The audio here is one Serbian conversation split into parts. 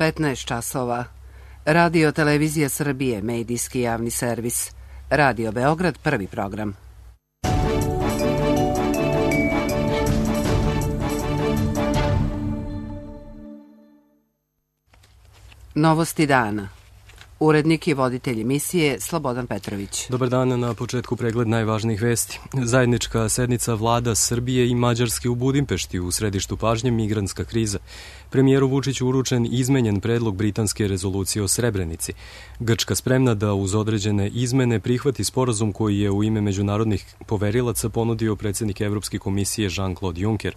15 časova. Radio Televizija Srbije, medijski javni servis. Radio Beograd, prvi program. Novosti dana. Urednik i voditelj emisije Slobodan Petrović. Dobar dan, na početku pregled najvažnijih vesti. Zajednička sednica vlada Srbije i Mađarske u Budimpešti, u središtu pažnje migrantska kriza. Premijeru Vučiću uručen izmenjen predlog britanske rezolucije o Srebrenici. Grčka spremna da uz određene izmene prihvati sporazum koji je u ime međunarodnih poverilaca ponudio predsjednik Evropske komisije Jean-Claude Juncker.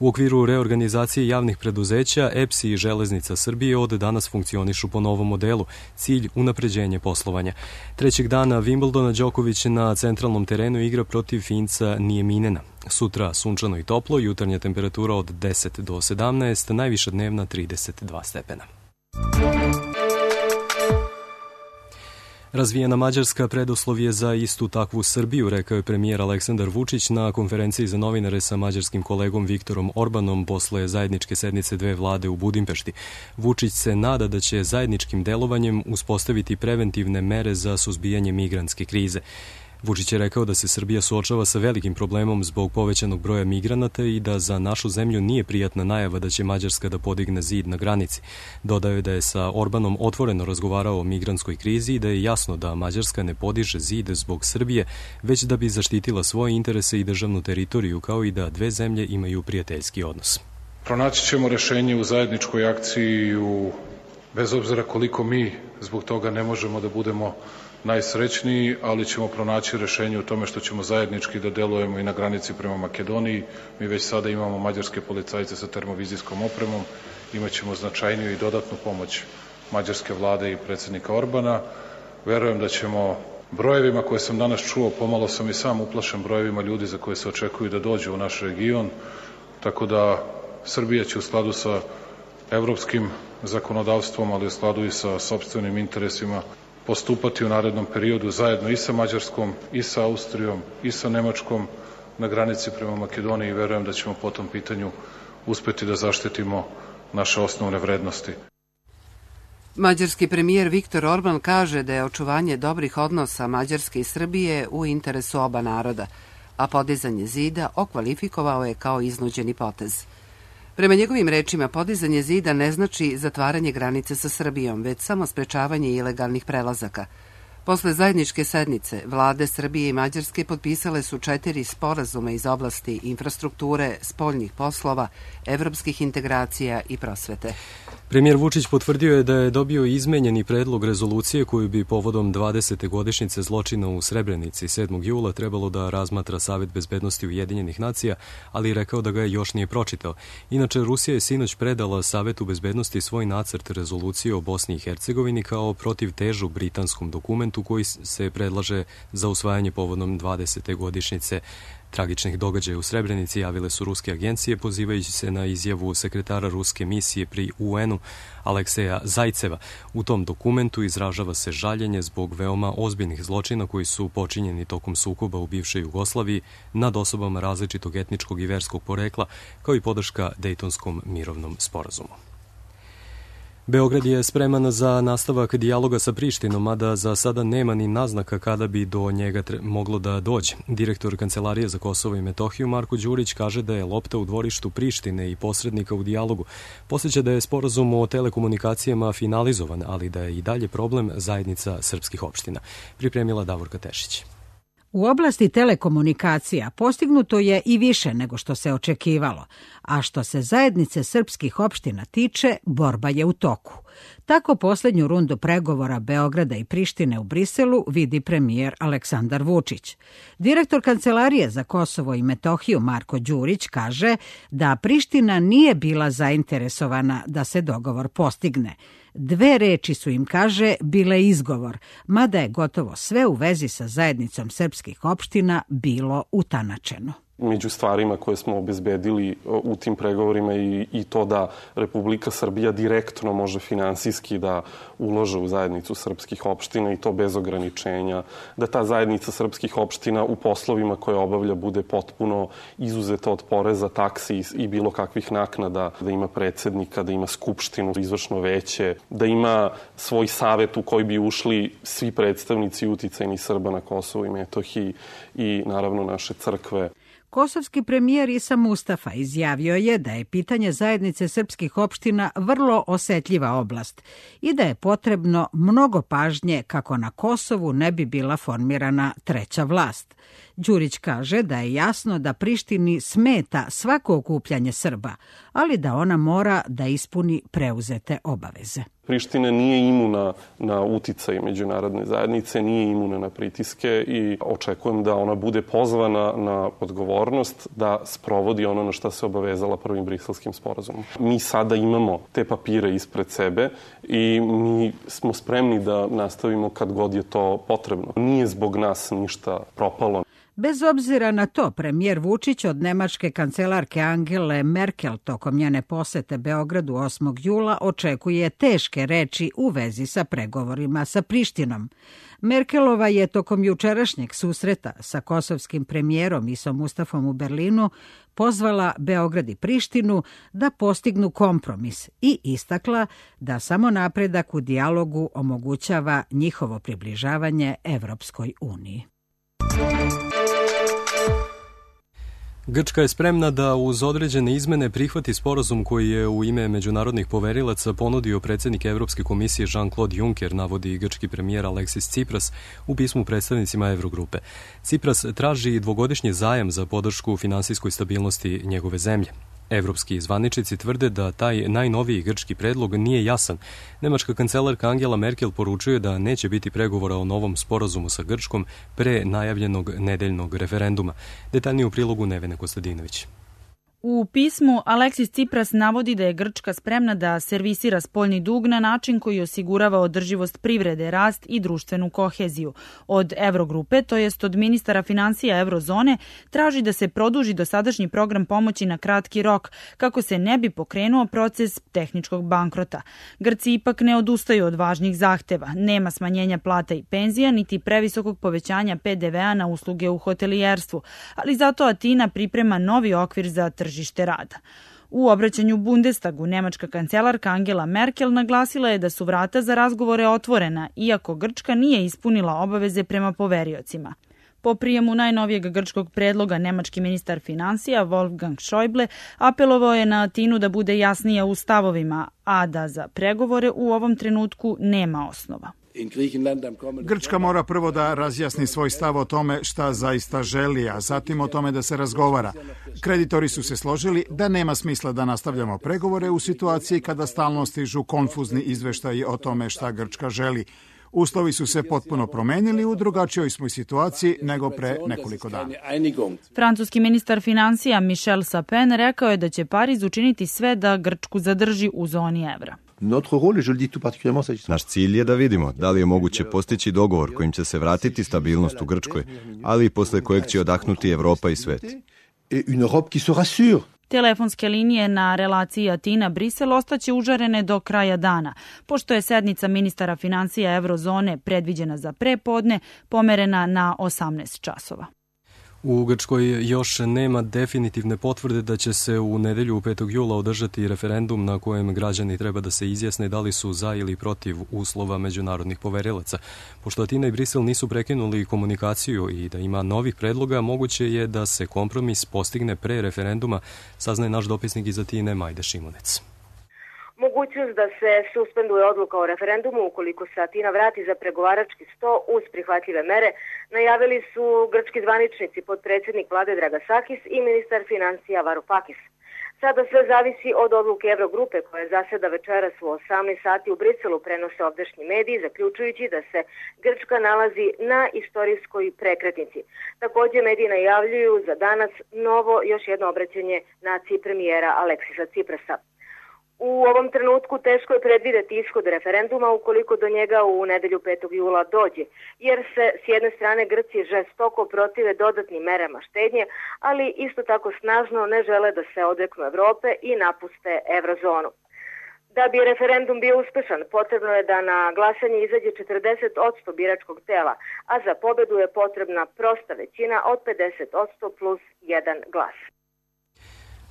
U okviru reorganizacije javnih preduzeća, EPS i Železnica Srbije od danas funkcionišu po novom modelu, cilj unapređenje poslovanja. Trećeg dana Wimbledona Đoković na centralnom terenu igra protiv Finca Nijeminena. Sutra sunčano i toplo, jutarnja temperatura od 10 do 17, najviša dnevna 32 stepena. Razvijena Mađarska preduslov je za istu takvu Srbiju, rekao je premijer Aleksandar Vučić na konferenciji za novinare sa mađarskim kolegom Viktorom Orbanom posle zajedničke sednice dve vlade u Budimpešti. Vučić se nada da će zajedničkim delovanjem uspostaviti preventivne mere za suzbijanje migrantske krize. Vučić je rekao da se Srbija suočava sa velikim problemom zbog povećanog broja migranata i da za našu zemlju nije prijatna najava da će Mađarska da podigne zid na granici. Dodao je da je sa Orbanom otvoreno razgovarao o migrantskoj krizi i da je jasno da Mađarska ne podiže zid zbog Srbije, već da bi zaštitila svoje interese i državnu teritoriju, kao i da dve zemlje imaju prijateljski odnos. Pronaći ćemo rešenje u zajedničkoj akciji, bez obzira koliko mi zbog toga ne možemo da budemo najsrećniji, ali ćemo pronaći rešenje u tome što ćemo zajednički da delujemo i na granici prema Makedoniji. Mi već sada imamo mađarske policajce sa termovizijskom opremom, imaćemo značajniju i dodatnu pomoć mađarske vlade i predsjednika Orbana. Verujem da ćemo brojevima koje sam danas čuo, pomalo sam i sam uplašen brojevima ljudi za koje se očekuju da dođu u naš region, tako da Srbija će u skladu sa evropskim zakonodavstvom, ali u skladu i sa sopstvenim interesima postupati u narednom periodu zajedno i sa Mađarskom, i sa Austrijom, i sa Nemačkom na granici prema Makedoniji i verujem da ćemo po tom pitanju uspeti da zaštitimo naše osnovne vrednosti. Mađarski premijer Viktor Orban kaže da je očuvanje dobrih odnosa Mađarske i Srbije u interesu oba naroda, a podizanje zida okvalifikovao je kao iznuđeni potez. Prema njegovim rečima, podizanje zida ne znači zatvaranje granice sa Srbijom, već samo sprečavanje ilegalnih prelazaka. Posle zajedničke sednice, vlade Srbije i Mađarske potpisale su 4 sporazuma iz oblasti infrastrukture, spoljnih poslova, evropskih integracija i prosvete. Premijer Vučić potvrdio je da je dobio izmenjeni predlog rezolucije koju bi povodom 20. godišnjice zločina u Srebrenici 7. jula trebalo da razmatra Savet bezbednosti Ujedinjenih nacija, ali rekao da ga još nije pročitao. Inače, Rusija je sinoć predala Savetu bezbednosti svoj nacrt rezolucije o Bosni i Hercegovini kao protivtežu britanskom dokumentu koji se predlaže za usvajanje povodom 20. godišnjice tragičnih događaja u Srebrenici, javile su ruske agencije pozivajući se na izjavu sekretara ruske misije pri UN-u Alekseja Zajceva. U tom dokumentu izražava se žaljenje zbog veoma ozbiljnih zločina koji su počinjeni tokom sukoba u bivšoj Jugoslaviji nad osobama različitog etničkog i verskog porekla, kao i podrška Dejtonskom mirovnom sporazumu. Beograd je spreman za nastavak dijaloga sa Prištinom, mada za sada nema ni naznaka kada bi do njega moglo da dođe. Direktor Kancelarije za Kosovo i Metohiju Marko Đurić kaže da je lopta u dvorištu Prištine i posrednika u dijalogu. Podseća da je sporazum o telekomunikacijama finalizovan, ali da je i dalje problem zajednica srpskih opština. Pripremila Davorka Tešić. U oblasti telekomunikacija postignuto je i više nego što se očekivalo, a što se zajednice srpskih opština tiče, borba je u toku. Tako poslednju rundu pregovora Beograda i Prištine u Briselu vidi premijer Aleksandar Vučić. Direktor Kancelarije za Kosovo i Metohiju Marko Đurić kaže da Priština nije bila zainteresovana da se dogovor postigne. 2 reči su im, kaže, bile izgovor, mada je gotovo sve u vezi sa zajednicom srpskih opština bilo utanačeno. Među stvarima koje smo obezbedili u tim pregovorima i to da Republika Srbija direktno može finansijski da ulože u zajednicu srpskih opština i to bez ograničenja, da ta zajednica srpskih opština u poslovima koje obavlja bude potpuno izuzeta od poreza, taksi i bilo kakvih naknada, da ima predsednika, da ima skupštinu, izvršno veće, da ima svoj savet u koji bi ušli svi predstavnici uticajnih Srba na Kosovu i Metohiji i naravno naše crkve. Kosovski premijer Isa Mustafa izjavio je da je pitanje zajednice srpskih opština vrlo osetljiva oblast i da je potrebno mnogo pažnje kako na Kosovu ne bi bila formirana treća vlast. Đurić kaže da je jasno da Prištini smeta svako okupljanje Srba, ali da ona mora da ispuni preuzete obaveze. Priština nije imuna na uticaj međunarodne zajednice, nije imuna na pritiske i očekujem da ona bude pozvana na odgovornost da sprovodi ono na što se obavezala prvim Briselskim sporazumom. Mi sada imamo te papire ispred sebe i mi smo spremni da nastavimo kad god je to potrebno. Nije zbog nas ništa propalo. Bez obzira na to, premijer Vučić od nemačke kancelarke Angele Merkel tokom njene posete Beogradu 8. jula očekuje teške reči u vezi sa pregovorima sa Prištinom. Merkelova je tokom jučerašnjeg susreta sa kosovskim premijerom Isom Mustafom u Berlinu pozvala Beograd i Prištinu da postignu kompromis i istakla da samo napredak u dijalogu omogućava njihovo približavanje Evropskoj uniji. Grčka je spremna da uz određene izmene prihvati sporazum koji je u ime međunarodnih poverilaca ponudio predsjednik Evropske komisije Jean-Claude Juncker, navodi grčki premijer Aleksis Tsipras u pismu predstavnicima Evrogrupe. Tsipras traži dvogodišnji zajam za podršku finansijskoj stabilnosti njegove zemlje. Evropski zvaničnici tvrde da taj najnoviji grčki predlog nije jasan. Nemačka kancelarka Angela Merkel poručuje da neće biti pregovora o novom sporazumu sa Grčkom pre najavljenog nedeljnog referenduma. Detaljnije u prilogu Nevene Kostadinović. U pismu Aleksis Tsipras navodi da je Grčka spremna da servisira spoljni dug na način koji osigurava održivost privrede, rast i društvenu koheziju. Od Evrogrupe, to jest od ministara finansija Eurozone, traži da se produži dosadašnji program pomoći na kratki rok, kako se ne bi pokrenuo proces tehničkog bankrota. Grci ipak ne odustaju od važnih zahteva. Nema smanjenja plata i penzija, niti previsokog povećanja PDV-a na usluge u hotelijerstvu, ali zato Atina priprema novi okvir za tržište rada. U obraćanju Bundestagu nemačka kancelarka Angela Merkel naglasila je da su vrata za razgovore otvorena, iako Grčka nije ispunila obaveze prema poveriocima. Po prijemu najnovijeg grčkog predloga nemački ministar finansija Wolfgang Schäuble apelovao je na Atinu da bude jasnija u stavovima, a da za pregovore u ovom trenutku nema osnova. Grčka mora prvo da razjasni svoj stav o tome šta zaista želi, a zatim o tome da se razgovara. Kreditori su se složili da nema smisla da nastavljamo pregovore u situaciji kada stalno stižu konfuzni izveštaji o tome šta Grčka želi. Uslovi su se potpuno promenili, u drugačijoj smo situaciji nego pre nekoliko dana. Francuski ministar finansija Michel Sapin rekao je da će Pariz učiniti sve da Grčku zadrži u zoni evra. Naš cilj je da vidimo da li je moguće postići dogovor kojim će se vratiti stabilnost u Grčkoj, ali i posle kojeg će odahnuti Evropa i svet. Telefonske linije na relaciji Atina-Brisel ostaće užarene do kraja dana, pošto je sednica ministara finansija Eurozone predviđena za prepodne, pomerena na 18 časova. U Grčkoj još nema definitivne potvrde da će se u nedelju 5. jula održati referendum na kojem građani treba da se izjasne da li su za ili protiv uslova međunarodnih poverilaca. Pošto Atina i Brisel nisu prekinuli komunikaciju i da ima novih predloga, moguće je da se kompromis postigne pre referenduma, saznaje naš dopisnik iz Atine Majde Šimunec. Mogućnost da se suspenduje odluka o referendumu ukoliko se Atina vrati za pregovarački sto uz prihvatljive mere, najavili su grčki zvaničnici, potpredsjednik vlade Dragasakis i ministar finansija Varoufakis. Sada sve zavisi od odluke Evrogrupe koja zaseda večeras u 18 sati u Briselu, prenose ovdašnji mediji, zaključujući da se Grčka nalazi na istorijskoj prekretnici. Također mediji najavljuju za danas novo još jedno obraćanje naciji premijera Aleksisa Tsiprasa. U ovom trenutku teško je predvideti ishod referenduma ukoliko do njega u nedelju 5. jula dođe, jer se s jedne strane Grci žestoko protive dodatnim merama štednje, ali isto tako snažno ne žele da se odreknu Evrope i napuste eurozonu. Da bi referendum bio uspešan, potrebno je da na glasanje izađe 40% biračkog tela, a za pobedu je potrebna prosta većina od 50% plus 1 glas.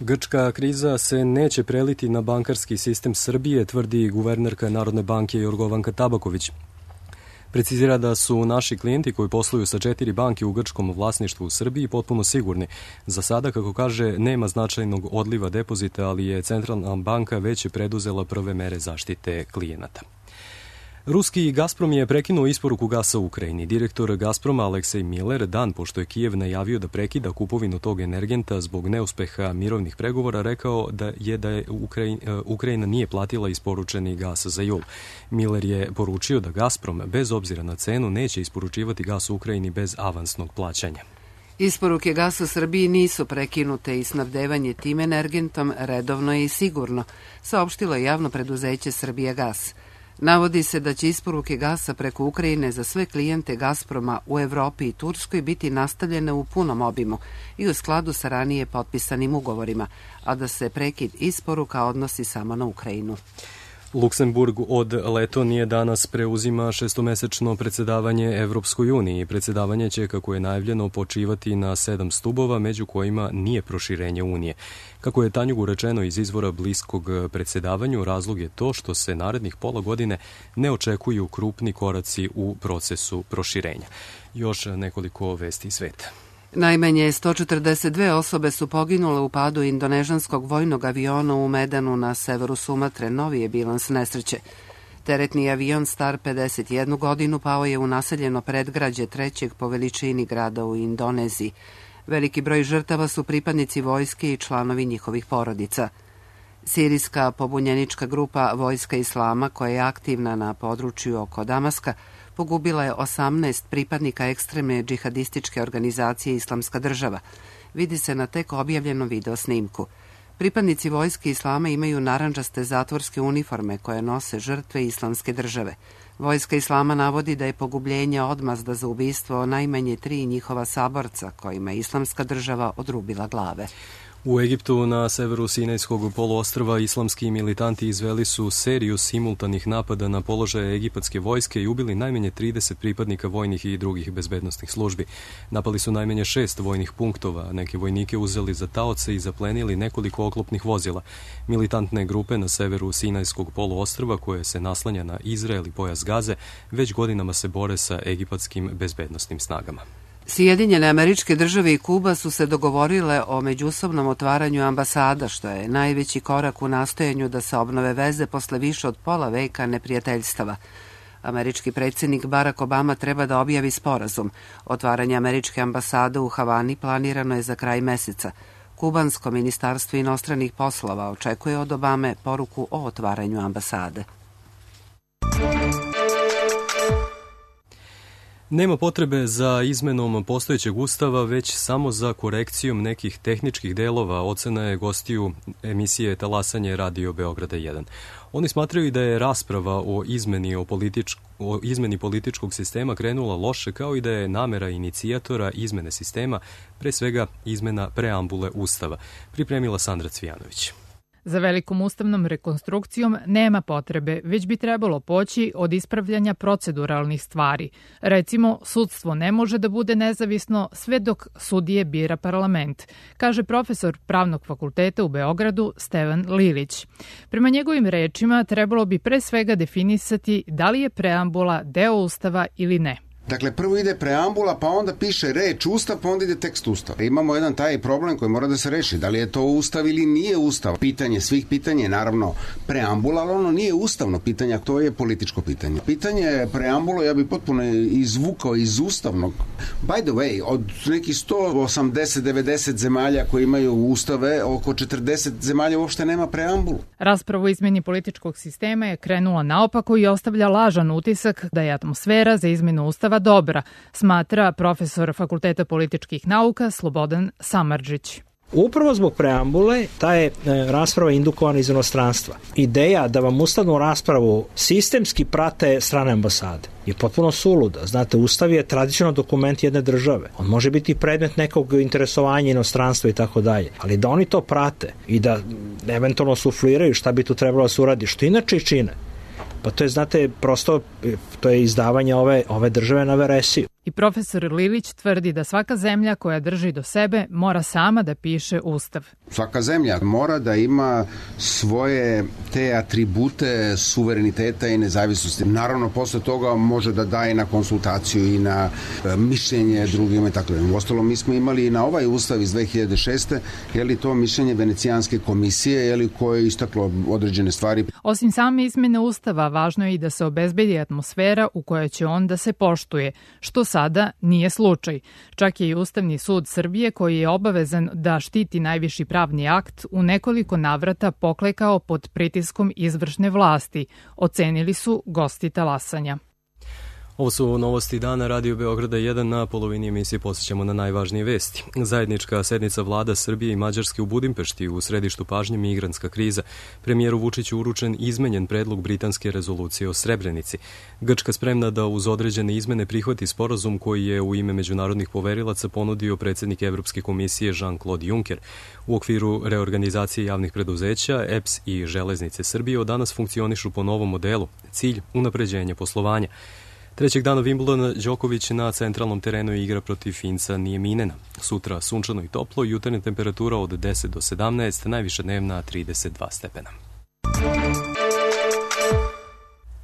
Grčka kriza se neće preliti na bankarski sistem Srbije, tvrdi guvernerka Narodne banke Jorgovanka Tabaković. Precizira da su naši klijenti koji posluju sa 4 banke u grčkom vlasništvu u Srbiji potpuno sigurni. Za sada, kako kaže, nema značajnog odliva depozita, ali je Centralna banka već preduzela prve mere zaštite klijenata. Ruski Gazprom je prekinuo isporuku gasa u Ukrajini. Direktor Gazproma Aleksej Miller, dan pošto je Kijev najavio da prekida kupovinu tog energenta zbog neuspeha mirovnih pregovora, rekao da je Ukrajina nije platila isporučeni gas za jul. Miller je poručio da Gazprom, bez obzira na cenu, neće isporučivati gas u Ukrajini bez avansnog plaćanja. Isporuke gasa Srbiji nisu prekinute i snabdevanje tim energentom redovno je i sigurno, saopštilo je javno preduzeće Srbijagas. Navodi se da će isporuke gasa preko Ukrajine za sve klijente Gazproma u Evropi i Turskoj biti nastavljene u punom obimu i u skladu sa ranije potpisanim ugovorima, a da se prekid isporuka odnosi samo na Ukrajinu. Luksemburg od Letonije danas preuzima šestomesečno predsedavanje Evropskoj uniji. Predsedavanje će, kako je najavljeno, počivati na 7 stubova, među kojima nije proširenje Unije. Kako je Tanjugu rečeno iz izvora bliskog predsedavanju, razlog je to što se narednih pola godine ne očekuju krupni koraci u procesu proširenja. Još nekoliko vesti iz sveta. Najmanje 142 osobe su poginule u padu indonežanskog vojnog aviona u Medanu na severu Sumatre. Novi je bilans nesreće. Teretni avion star 51 godinu pao je u naseljeno predgrađe trećeg po veličini grada u Indoneziji. Veliki broj žrtava su pripadnici vojske i članovi njihovih porodica. Sirijska pobunjenička grupa Vojska Islama, koja je aktivna na području oko Damaska, pogubila je 18 pripadnika ekstremne džihadističke organizacije Islamska država. Vidi se na tek objavljenom video snimku. Pripadnici Vojske Islama imaju narandžaste zatvorske uniforme koje nose žrtve Islamske države. Vojska Islama navodi da je pogubljenje odmazda za ubistvo najmanje 3 njihova saborca kojima je Islamska država odrubila glave. U Egiptu na severu Sinajskog poluostrva islamski militanti izveli su seriju simultanih napada na položaje egipatske vojske i ubili najmanje 30 pripadnika vojnih i drugih bezbednosnih službi. Napali su najmanje 6 vojnih punktova, neke vojnike uzeli za taoce i zaplenili nekoliko oklopnih vozila. Militantne grupe na severu Sinajskog poluostrva, koje se naslanja na Izrael i pojas Gaze, već godinama se bore sa egipatskim bezbednosnim snagama. Sjedinjene Američke Države i Kuba su se dogovorile o međusobnom otvaranju ambasada, što je najveći korak u nastojanju da se obnove veze posle više od pola veka neprijateljstava. Američki predsjednik Barack Obama treba da objavi sporazum. Otvaranje američke ambasade u Havani planirano je za kraj meseca. Kubansko ministarstvo inostranih poslova očekuje od Obame poruku o otvaranju ambasade. Nema potrebe za izmenom postojećeg ustava, već samo za korekcijom nekih tehničkih delova, ocena je gostiju emisije Talasanje Radio Beograda 1. Oni smatraju da je rasprava o izmeni političkog sistema krenula loše, kao i da je namera inicijatora izmene sistema, pre svega izmena preambule ustava, pripremila Sandra Cvijanović. Za velikom ustavnom rekonstrukcijom nema potrebe, već bi trebalo poći od ispravljanja proceduralnih stvari. Recimo, sudstvo ne može da bude nezavisno sve dok sudije bira parlament, kaže profesor Pravnog fakulteta u Beogradu Stevan Lilić. Prema njegovim rečima trebalo bi pre svega definisati da li je preambula deo ustava ili ne. Dakle, prvo ide preambula, pa onda piše reč ustav, pa onda ide tekst ustav. Imamo jedan taj problem koji mora da se reši. Da li je to ustav ili nije ustav? Pitanje svih pitanja je naravno preambula, ali ono nije ustavno pitanje, to je političko pitanje. Pitanje preambula ja bi potpuno izvukao iz ustavnog. By the way, od nekih 180-90 zemalja koji imaju ustave, oko 40 zemalja uopšte nema preambulu. Raspravu o izmeni političkog sistema je krenula naopako i ostavlja lažan utisak da je atmosfera za izmenu ustava dobra, smatra profesor Fakulteta političkih nauka Slobodan Samardžić. Upravo zbog preambule ta je rasprava indukovana iz inostranstva. Ideja da vam ustavnu raspravu sistemski prate strane ambasade je potpuno suluda. Znate, Ustav je tradicionalno dokument jedne države. On može biti predmet nekog interesovanja inostranstva i tako dalje. Ali da oni to prate i da eventualno sufliraju šta bi tu trebalo da se uradi, što inače i čine, pa to je, znate, prosto to je izdavanje ove države na veresiju. I profesor Lilić tvrdi da svaka zemlja koja drži do sebe mora sama da piše ustav. Svaka zemlja mora da ima svoje te atribute suvereniteta i nezavisnosti. Naravno, posle toga može da daje na konsultaciju i na mišljenje drugima i tako da. Uostalom, mi smo imali i na ovaj ustav iz 2006. je li to mišljenje Venecijanske komisije, je li koje je istaklo određene stvari. Osim same izmene ustava, važno je i da se obezbedi atmosfera u kojoj će on da se poštuje, što sada nije slučaj. Čak je i Ustavni sud Srbije, koji je obavezan da štiti najviši pravni akt, u nekoliko navrata poklekao pod pritiskom izvršne vlasti, ocenili su gosti talasanja. Ovo su novosti dana Radio Beograda 1. Na polovini emisije posjećamo na najvažnije vesti. Zajednička sednica vlada Srbije i Mađarske u Budimpešti, u središtu pažnje migrantska kriza. Premijeru Vučiću uručen izmenjen predlog britanske rezolucije o Srebrenici. Grčka spremna da uz određene izmene prihvati sporazum koji je u ime međunarodnih poverilaca ponudio predsjednik Evropske komisije Jean-Claude Juncker. U okviru reorganizacije javnih preduzeća, EPS i Železnice Srbije od danas funkcionišu po novom modelu. Cilj – unapređenje poslovanja. Trećeg dana Wimbledona Đoković na centralnom terenu igra protiv Finca Nijeminena. Sutra sunčano i toplo, jutarnja temperatura od 10 do 17, najviša dnevna 32 stepena.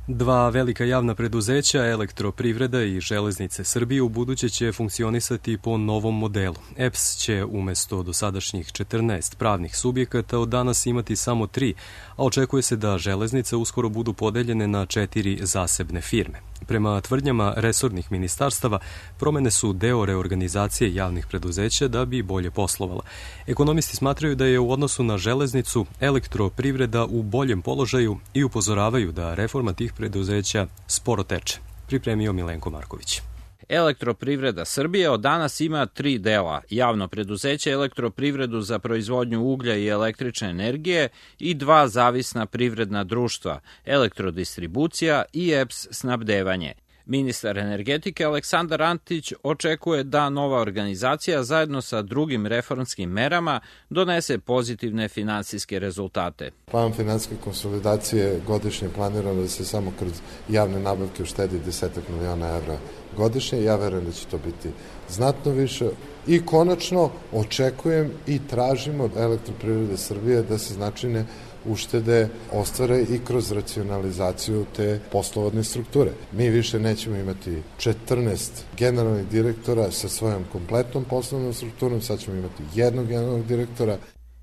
Dva velika javna preduzeća, Elektroprivreda i Železnice Srbije, u buduće će funkcionisati po novom modelu. EPS će umesto dosadašnjih 14 pravnih subjekata od danas imati samo 3, a očekuje se da železnice uskoro budu podeljene na 4 zasebne firme. Prema tvrdnjama resornih ministarstava, promene su deo reorganizacije javnih preduzeća da bi bolje poslovala. Ekonomisti smatraju da je u odnosu na železnicu Elektroprivreda u boljem položaju i upozoravaju da reforma tih preduzeća sporo teče. Pripremio Milenko Marković. Elektroprivreda Srbije od danas ima 3 dela. Javno preduzeće Elektroprivredu za proizvodnju uglja i električne energije i 2 zavisna privredna društva, Elektrodistribucija i EPS snabdevanje. Ministar energetike Aleksandar Antić očekuje da nova organizacija zajedno sa drugim reformskim merama donese pozitivne finansijske rezultate. Plan finansijske konsolidacije godišnje planirano da se samo kroz javne nabavke uštedi 10 miliona evra godišnje. Ja verujem da će to biti znatno više. I konačno očekujem i tražimo od Elektroprivrede Srbije da se značajne uštede ostvare i kroz racionalizaciju te poslovodne strukture. Mi više nećemo imati 14 generalnih direktora sa svojom kompletnom poslovnom strukturom, sad ćemo imati jednog generalnog direktora.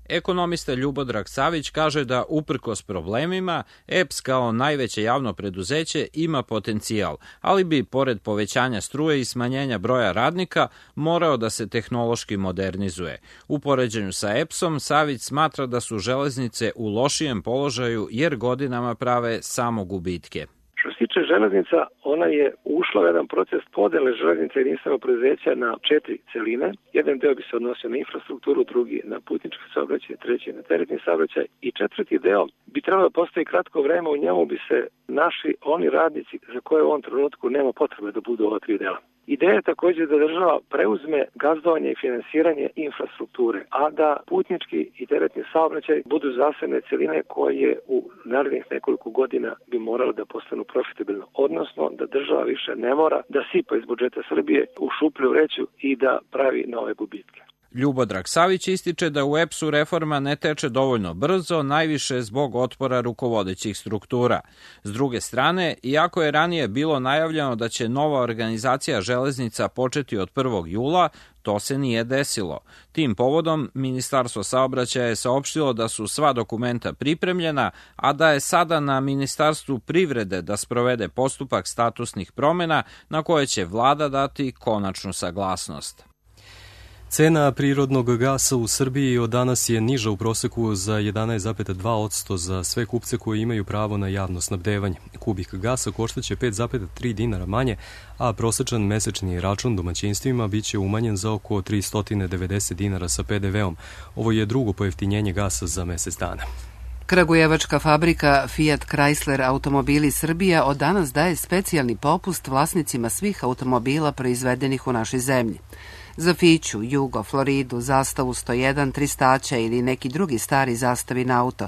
Ekonomista Ljubodrag Savić kaže da uprkos problemima EPS kao najveće javno preduzeće ima potencijal, ali bi pored povećanja struje i smanjenja broja radnika morao da se tehnološki modernizuje. U poređenju sa EPS-om Savić smatra da su železnice u lošijem položaju jer godinama prave samo gubitke. Što se tiče železnica, ona je ušla u jedan proces podele železnica jedinstvenog preduzeća na 4 celine. Jedan deo bi se odnosio na infrastrukturu, drugi na putnički saobraćaj, treći na teretni saobraćaj i četvrti deo bi trebalo da postoji kratko vreme, u njemu bi se naši oni radnici za koje u ovom trenutku nema potrebe da budu ova 3 dela. Ideja je također da država preuzme gazdovanje i finansiranje infrastrukture, a da putnički i teretni saobraćaj budu zasebne celine koje u narednih nekoliko godina bi morale da postanu profitabilne, odnosno da država više ne mora da sipa iz budžeta Srbije u šuplju vreću i da pravi nove gubitke. Ljubodrag Savić ističe da u EPS-u reforma ne teče dovoljno brzo, najviše zbog otpora rukovodećih struktura. S druge strane, iako je ranije bilo najavljeno da će nova organizacija železnica početi od 1. jula, to se nije desilo. Tim povodom, Ministarstvo saobraćaja je saopštilo da su sva dokumenta pripremljena, a da je sada na Ministarstvu privrede da sprovede postupak statusnih promjena na koje će vlada dati konačnu saglasnost. Cena prirodnog gasa u Srbiji od danas je niža u proseku za 11,2% za sve kupce koji imaju pravo na javno snabdevanje. Kubik gasa koštaće 5,3 dinara manje, a prosečan mesečni račun domaćinstvima biće umanjen za oko 390 dinara sa PDV-om. Ovo je drugo pojeftinjenje gasa za mesec dana. Kragujevačka fabrika Fiat Chrysler Automobili Srbija od danas daje specijalni popust vlasnicima svih automobila proizvedenih u našoj zemlji. Za Fiću, Jugo, Floridu, Zastavu 101, Tristaća ili neki drugi stari zastavin auto.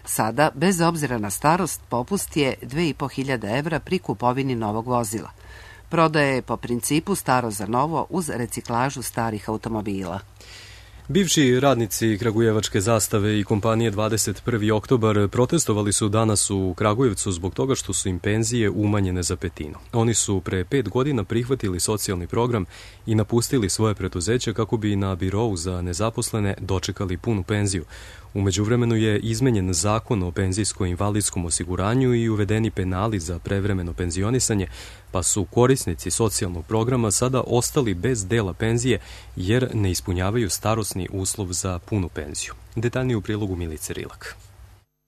Sada, bez obzira na starost, popust je 2.500 evra pri kupovini novog vozila. Prodaje je po principu staro za novo uz reciklažu starih automobila. Bivši radnici Kragujevačke zastave i kompanije 21. oktobar protestovali su danas u Kragujevcu zbog toga što su im penzije umanjene za petinu. Oni su pre 5 godina prihvatili socijalni program i napustili svoje preduzeće kako bi na birou za nezaposlene dočekali punu penziju. U međuvremenu je izmenjen zakon o penzijsko-invalidskom osiguranju i uvedeni penali za prevremeno penzionisanje, pa su korisnici socijalnog programa sada ostali bez dela penzije jer ne ispunjavaju starosni uslov za punu penziju. Detaljnije u prilogu Milice Rilak.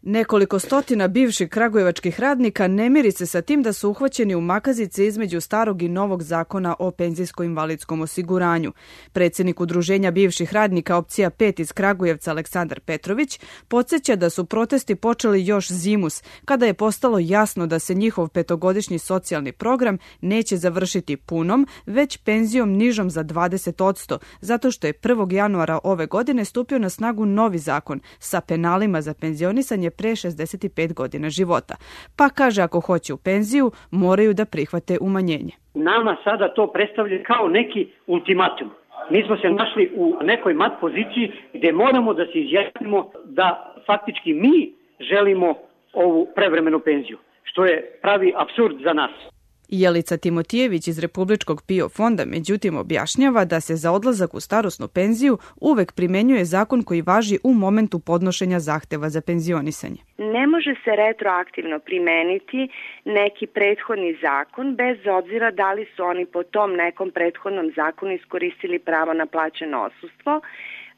Nekoliko stotina bivših kragujevačkih radnika ne miri se sa tim da su uhvaćeni u makazice između starog i novog zakona o penzijsko-invalidskom osiguranju. Predsjednik Udruženja bivših radnika opcija 5 iz Kragujevca Aleksandar Petrović podsjeća da su protesti počeli još zimus, kada je postalo jasno da se njihov petogodišnji socijalni program neće završiti punom, već penzijom nižom za 20%, zato što je 1. januara ove godine stupio na snagu novi zakon sa penalima za penzionisanje pre 65 godina života. Pa kaže, ako hoće u penziju, moraju da prihvate umanjenje. Nama sada to predstavlja kao neki ultimatum. Mi smo se našli u nekoj mat poziciji gde moramo da se izjasnimo da faktički mi želimo ovu prevremenu penziju, što je pravi apsurd za nas. Jelica Timotijević iz Republičkog PIO fonda međutim objašnjava da se za odlazak u starosnu penziju uvek primenjuje zakon koji važi u momentu podnošenja zahteva za penzionisanje. Ne može se retroaktivno primeniti neki prethodni zakon bez obzira da li su oni po tom nekom prethodnom zakonu iskoristili pravo na plaćeno odsustvo,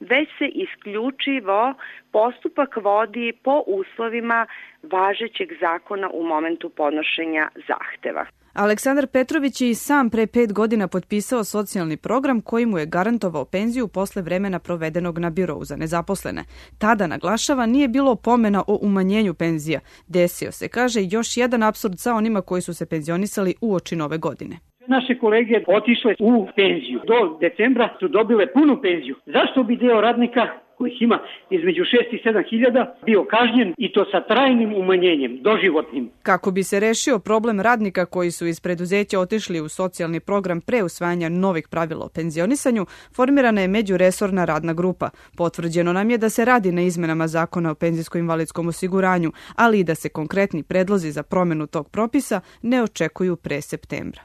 već se isključivo postupak vodi po uslovima važećeg zakona u momentu podnošenja zahteva. Aleksandar Petrović je i sam pre 5 godina potpisao socijalni program koji mu je garantovao penziju posle vremena provedenog na birou za nezaposlene. Tada, naglašava, nije bilo pomena o umanjenju penzija. Desio se, kaže, još jedan apsurd sa onima koji su se penzionisali uoči nove godine. Naše kolege otišle u penziju. Do decembra su dobile punu penziju. Zašto bi deo radnika kojih ima između 6 i 7 hiljada bio kažnjen i to sa trajnim umanjenjem, doživotnim? Kako bi se rešio problem radnika koji su iz preduzeća otišli u socijalni program pre usvajanja novih pravila o penzionisanju, formirana je međuresorna radna grupa. Potvrđeno nam je da se radi na izmenama zakona o penzijsko-invalidskom osiguranju, ali i da se konkretni predlozi za promenu tog propisa ne očekuju pre septembra.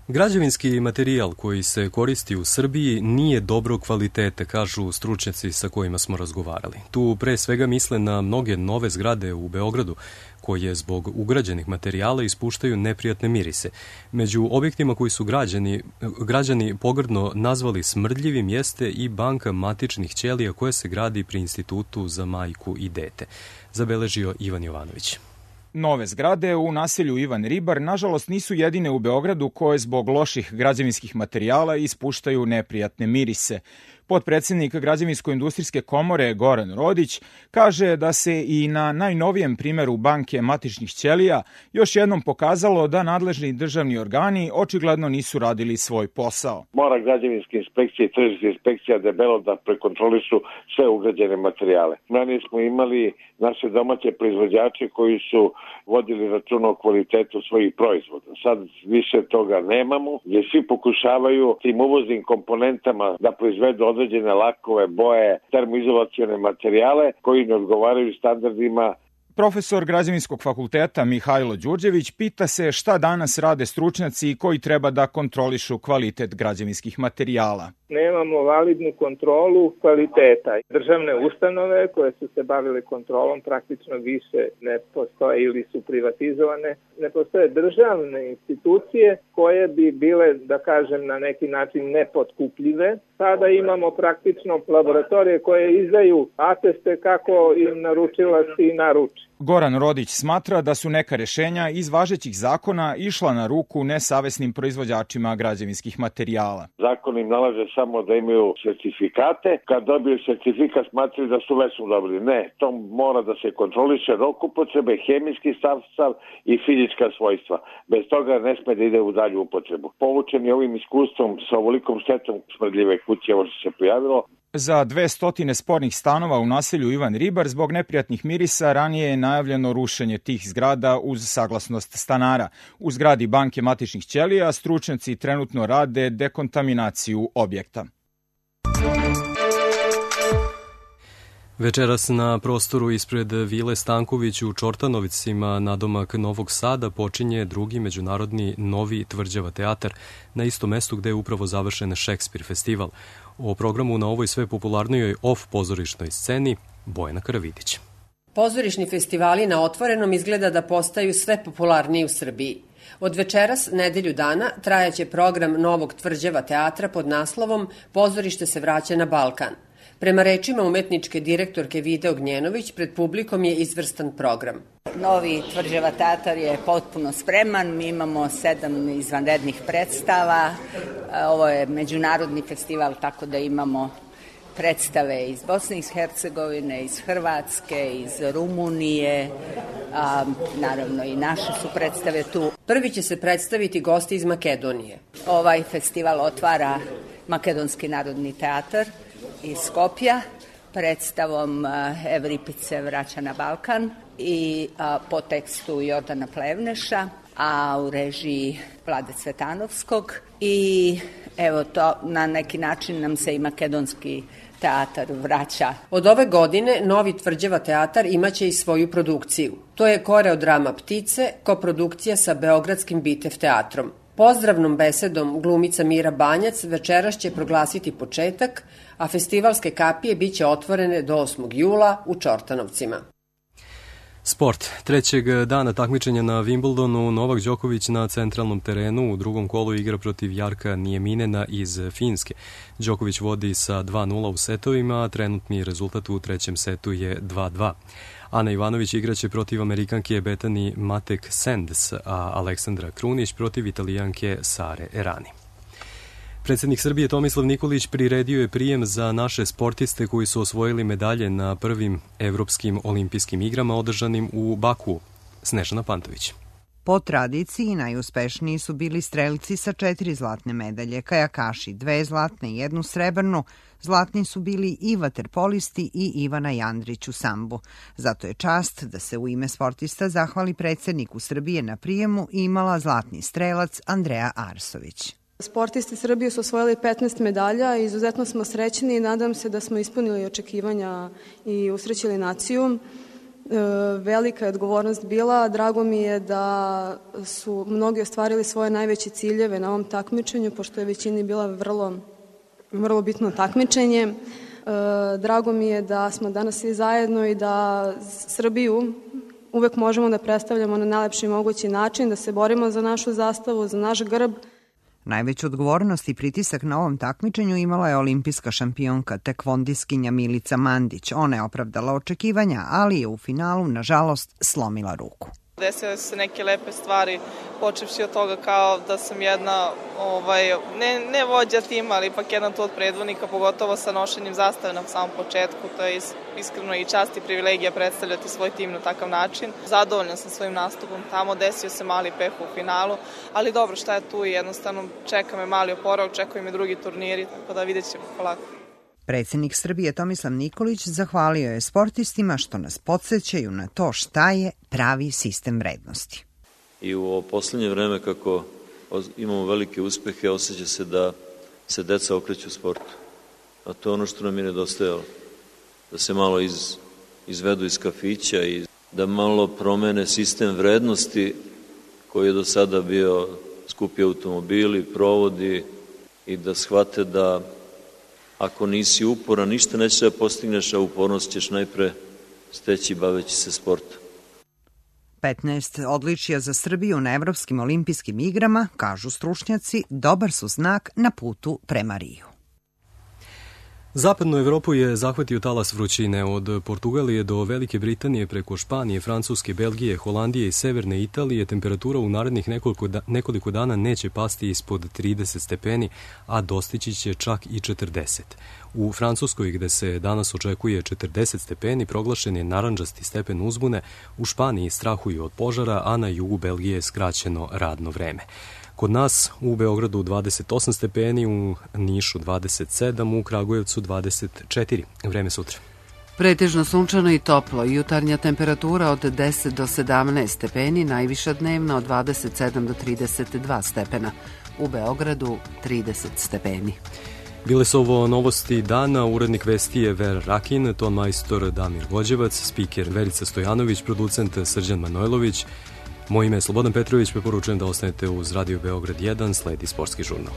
Građevinski materijal koji se koristi u Srbiji nije dobro kvalitete, kažu stručnjaci sa kojima smo razgovarali. Tu pre svega misle na mnoge nove zgrade u Beogradu, koje zbog ugrađenih materijala ispuštaju neprijatne mirise. Među objektima koji su građani pogrdno nazvali smrdljivim jeste i banka matičnih ćelija koja se gradi pri Institutu za majku i dete, zabeležio Ivan Jovanović. Nove zgrade u naselju Ivan Ribar nažalost nisu jedine u Beogradu koje zbog loših građevinskih materijala ispuštaju neprijatne mirise. Potpredsednik Građevinsko-industrijske komore Goran Rodić kaže da se i na najnovijem primeru banke matičnih ćelija još jednom pokazalo da nadležni državni organi očigledno nisu radili svoj posao. Mora građevinska inspekcija i tržišna inspekcija debelo da prekontrolišu sve ugrađene materijale. Ranije smo imali naše domaće proizvođače koji su vodili račun o kvalitetu svojih proizvoda. Sad više toga nemamo, gdje svi pokušavaju tim uvoznim komponentama da proizvedu određene lakove, boje, termoizolacione materijale koji ne odgovaraju standardima. Profesor Građevinskog fakulteta Mihajlo Đurđević pita se šta danas rade stručnjaci koji treba da kontrolišu kvalitet građevinskih materijala. nemamo validnu kontrolu kvaliteta. Državne ustanove koje su se bavile kontrolom praktično više ne postoje ili su privatizovane. Ne postoje državne institucije koje bi bile, da kažem, na neki način nepotkupljive. Sada imamo praktično laboratorije koje izdaju ateste kako im naručilac i naruči. Goran Rodić smatra da su neka rešenja iz važećih zakona išla na ruku nesavesnim proizvođačima građevinskih materijala. Zakon im nalaže samo da imaju sertifikate. Kad dobiju sertifikat smatraju da su već dobili. Ne, to mora da se kontroliše rok upotrebe, hemijski sastav i fizička svojstva. Bez toga ne sme da ide u dalju upotrebu. Poučeni ovim iskustvom sa ovolikom štetom smrdljive kuće, ovo što se pojavilo. Za 200 spornih stanova u naselju Ivan Ribar zbog neprijatnih mirisa ranije je najavljeno rušenje tih zgrada uz saglasnost stanara. U zgradi banke matičnih ćelija stručnjaci trenutno rade dekontaminaciju objekta. Večeras na prostoru ispred Vile Stanković u Čortanovicima nadomak Novog Sada počinje drugi međunarodni Novi Tvrđava teatar na istom mestu gde je upravo završen Šekspir festival. O programu na ovoj sve popularnijoj off pozorišnoj sceni Bojana Karavidić. Pozorišni festivali na otvorenom izgleda da postaju sve popularniji u Srbiji. Od večeras, nedelju dana, trajaće program Novog Tvrđava teatra pod naslovom Pozorište se vraća na Balkan. Prema rečima umetničke direktorke Vide Ognjenović, pred publikom je izvrstan program. Novi Tvrđava teatar je potpuno spreman, mi imamo 7 izvanrednih predstava, ovo je međunarodni festival, tako da imamo predstave iz Bosne i Hercegovine, iz Hrvatske, iz Rumunije, naravno i naše su predstave tu. Prvi će se predstaviti gosti iz Makedonije. Ovaj festival otvara Makedonski narodni teatar iz Skopja predstavom Evripice vraća na Balkan i po tekstu Jordana Plevneša, a u režiji Vlade Cvetanovskog. I evo to na neki način nam se i makedonski teatar vraća. Od ove godine Novi Tvrđava teatar imaće i svoju produkciju. To je koreodrama Ptice, koprodukcija sa Beogradskim Bitev teatrom. Pozdravnom besedom glumica Mira Banjac večeras će proglasiti početak, a festivalske kapije biće otvorene do 8. jula u Čortanovcima. Sport. Trećeg dana takmičenja na Wimbledonu Novak Đoković na centralnom terenu u drugom kolu igra protiv Jarka Nijeminena iz Finske. Đoković vodi sa 2-0 u setovima, a trenutni rezultat u trećem setu je 2-2. Ana Ivanović igraće protiv Amerikanke Bethany Matek-Sands, a Aleksandra Krunić protiv Italijanke Sare Errani. Predsjednik Srbije Tomislav Nikolić priredio je prijem za naše sportiste koji su osvojili medalje na prvim evropskim olimpijskim igrama održanim u Bakuu. Snežana Pantović. Po tradiciji najuspešniji su bili strelci sa 4 zlatne medalje, kajakaši 2 zlatne i 1 srebrnu. Zlatni su bili i vaterpolisti i Ivana Jandrić u sambu. Zato je čast da se u ime sportista zahvali predsjedniku Srbije na prijemu i imala zlatni strelac Andreja Arsović. Sportisti Srbije su osvojili 15 medalja i izuzetno smo srećni i nadam se da smo ispunili očekivanja i usrećili naciju. Velika je odgovornost bila. Drago mi je da su mnogi ostvarili svoje najveće ciljeve na ovom takmičenju, pošto je većini bila vrlo bitno takmičenje. Drago mi je da smo danas svi zajedno i da Srbiju uvek možemo da predstavljamo na najlepši mogući način, da se borimo za našu zastavu, za naš grb. Najveću odgovornost i pritisak na ovom takmičenju imala je olimpijska šampionka tekvondiskinja Milica Mandić. Ona je opravdala očekivanja, ali je u finalu, nažalost, slomila ruku. Desile su se neke lepe stvari, počevši od toga kao da sam jedna, ne vođa tima, ali ipak jedan tu od predvodnika, pogotovo sa nošenjem zastave na samom početku. To je iskreno i čast i privilegija predstavljati svoj tim na takav način. Zadovoljna sam svojim nastupom tamo, desio se mali peh u finalu, ali dobro, šta je tu i jednostavno čeka me mali oporavak, čekaju me drugi turniri, tako da vidjet ćemo polako. Predsjednik Srbije Tomislav Nikolić zahvalio je sportistima što nas podsjećaju na to šta je pravi sistem vrednosti. I u ovo poslednje vreme kako imamo velike uspehe, osjeća se da se deca okreću sportu. A to je ono što nam je nedostajalo. Da se malo izvedu iz kafića i da malo promene sistem vrednosti koji je do sada bio skupi automobili, provodi i da shvate da ako nisi uporan, ništa neće da postigneš, a upornost ćeš najpre steći baveći se sportom. 15 odličija za Srbiju na Evropskim olimpijskim igrama, kažu stručnjaci, dobar su znak na putu prema Riju. Zapadnu Evropu je zahvatio talas vrućine od Portugalije do Velike Britanije preko Španije, Francuske, Belgije, Holandije i Severne Italije. Temperatura u narednih nekoliko dana neće pasti ispod 30 stepeni, a dostići će čak i 40. U Francuskoj, gde se danas očekuje 40 stepeni, proglašen je narandžasti stepen uzbune. U Španiji strahuju od požara, a na jugu Belgije je skraćeno radno vreme. Kod nas u Beogradu 28 stepeni, u Nišu 27, u Kragujevcu 24. Vreme sutra. Pretežno sunčano i toplo, jutarnja temperatura od 10 do 17 stepeni, najviša dnevna od 27 do 32 stepena. U Beogradu 30 stepeni. Bile su ovo novosti dana, urednik vesti je Ver Rakin, ton majstor Damir Vođevac, spiker Verica Stojanović, producent Srđan Manojlović. Moje ime je Slobodan Petrović, preporučujem da ostanete uz Radio Beograd 1, sledi sportski žurnal.